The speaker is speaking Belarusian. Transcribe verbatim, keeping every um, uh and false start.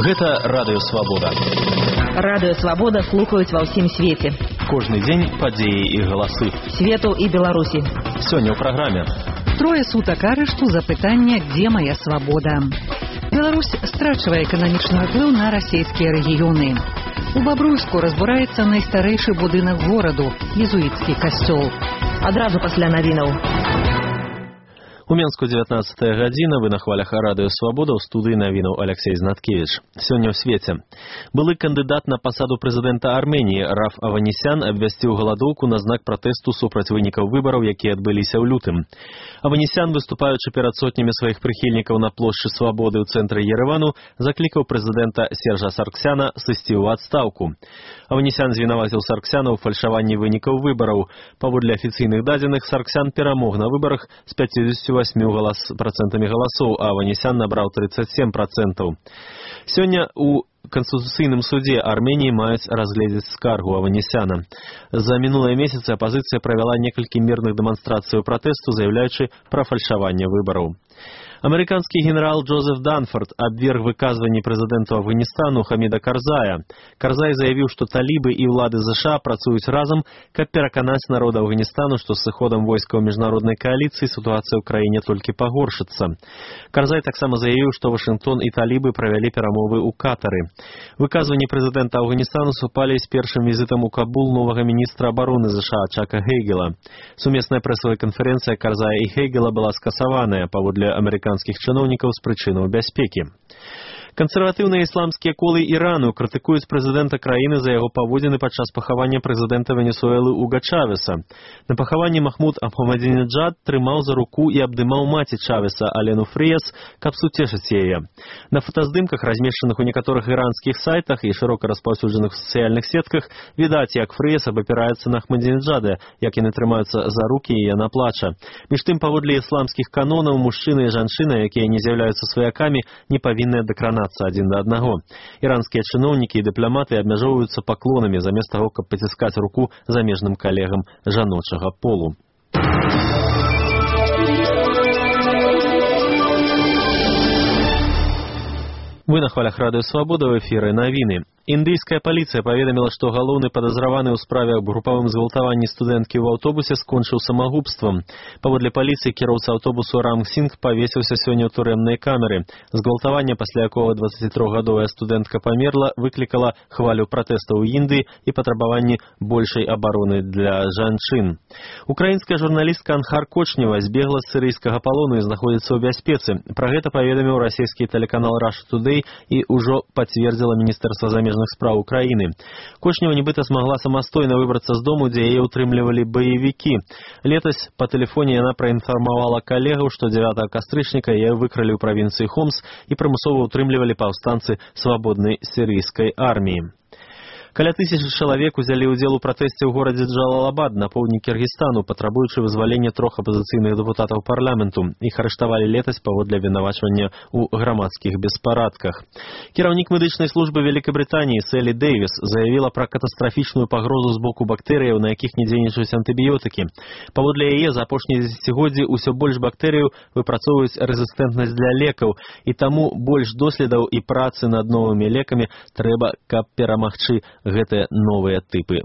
Гэта Радыё Свабода. Радыё Свабода слухаюць ва ўсім свеце. Кожны дзень падзеі і галасы. Свету і Беларусі. Сёння ў праграме. Трое сутак арышту за пытанне «Где моя свобода?». Беларусь страчвае эканамічны ўплыў на расійскія рэгіёны. У Бабруйску разбураецца найстарэйшы будынак гораду – езуіцкі касцёл. Адразу пасля навінаў. У Менску дзевятнаццатая гадзіна, вы на хвалях Радыё Свабода, ў студыі навінаў Алексей Знаткевич. Сёння ў свеце. Былы кандыдат на пасаду прэзідэнта Арменіі Раф Аванесян абвясціў галадоўку на знак пратэсту супраць вынікаў выбараў, якія адбыліся ў лютым. Аванесян, выступаючы перад сотнямі сваіх прыхільнікаў на плошчы Свабоды ў цэнтры Ерэвану, заклікаў прэзідэнта Сержа Сарксяна сысці ў адстаўку. Аванесян звінаваціў Сарксяна ў фальшаванні вынікаў выбараў. Паводле афіцыйных дадзеных, Сарксян перамог на выбарах з пяцьдзесятью восьмью процентамі галасоў, а Аванесян набраў тридцать семь процентаў. Сёння у Конституцыйным суде Арменіі маюць разгледзець скаргу Аванесяна. За мінулыя месяцы апазіцыя правяла некалькі мірных дэманстрацыяў пратэсту, заяўляючы пра фальшаванне выбараў. Амерыканскі генерал Джозеф Данфорд абверг выказванні прэзідэнту Афганістану Хаміда Карзая. Карзай заявіў, што талібы і ўлады ЗША працуюць разам, каб пераканаць народ Афганістану, што з сыходам войскаў міжнароднай кааліцыі сітуацыя ў краіне толькі пагоршыцца. Карзай таксама заявіў, што Вашынгтон і талібы правялі перамовы ў Катары. Выказванні прэзідэнта Афганістану супалі з першым візітам у Кабул новага міністра абароны ЗША Чака Хейгела. Сумесная прэсавая канферэнцыя Карзая і Хейгела была скасаваная паводле амерыканскіх чыноўнікаў з прычынаў бяспекі. Кансерватыўныя ісламскія колы Ірану крытыкуюць прэзідэнта краіны за яго паводзіны падчас пахавання прэзідэнта Венесуэлы Уга Чавеса. На пахаванні Махмуд Ахмадинеджад трымаў за руку і абдымаў маці Чавеса Алену Фріяс, каб суцешыць яе. На фотаздымках, размешчаных у некаторых іранскіх сайтах і шырока распаўсюджаных у сацыяльных сетках, відаць, як Фріяс абапіраецца на Ахмадинеджада, як яны трымаюцца за рукі і яна плача. Між тым, паводле ісламскіх канонаў, мужчыны і жанчыны, якія не з'яўляюцца сваякамі, не павінны дакранацца адзін да аднаго. Іранскія чыноўнікі і дыпламаты абмяжоўваюцца паклонамі замест таго, каб паціскаць руку замежным калегам жаночага полу. Вы на хвалях Радыё Свабода, ў эфіры навіны. Індыйская паліцыя паведаміла, што галоўны падазраваны ў справе аб групавым згвалтаванні студэнткі ў аўтобусе скончыў самагубствам. Паводле паліцыі кіроўца аўтобусу Ранг Сінг павесіўся сёння ў турэмнай камеры. Згвалтаванне, пасля якога дваццацітрохгадовая студэнтка памерла, выклікала хвалю пратэстаў у Індыі і патрабаванні большай абароны для жанчын. Украінская журналістка Анхар Кочнева збегла з сірыйскага палону і знаходзіцца ў бяспецы. Пра гэта паведаміў расійскі тэлеканал Russia Today і ўжо пацвердзіла Міністэрства замежных справ Украины. Кочнева нібыта смогла самастойна выбрацца з дому, дзе яе ўтрымлівалі баевікі. Летась па тэлефоне яна праінфармавала калегаў, што дзевятага кастрычніка яе выкралі ў правінцыі Хомс і прымусова ўтрымлівалі паўстанцы свабоднай сірыйскай арміі. Каля тысячы чалавек узялі ўдзел у пратэсце ў горадзе Джалалабад на поўдні Кіргізстану, патрабуючы вызвалення трох апазіцыйных дэпутатаў парламенту. Іх арыштавалі летась паводле абвінавачвання ў грамадскіх беспарадках. Кіраўнік медычнай службы Вялікабрытаніі Селі Дэйвіс заявіла пра катастрафічную пагрозу з боку бактэрыяў, на якіх не дзейнічаюць антыбіётыкі. Паводле яе, за апошнія дзесяцігоддзі ўсё больш бактэрыяў выпрацоўваюць рэзістэнтнасць для лекаў, і таму больш доследаў і працы над новымі лекамі трэба, каб перамагчы гэтыя новыя тыпы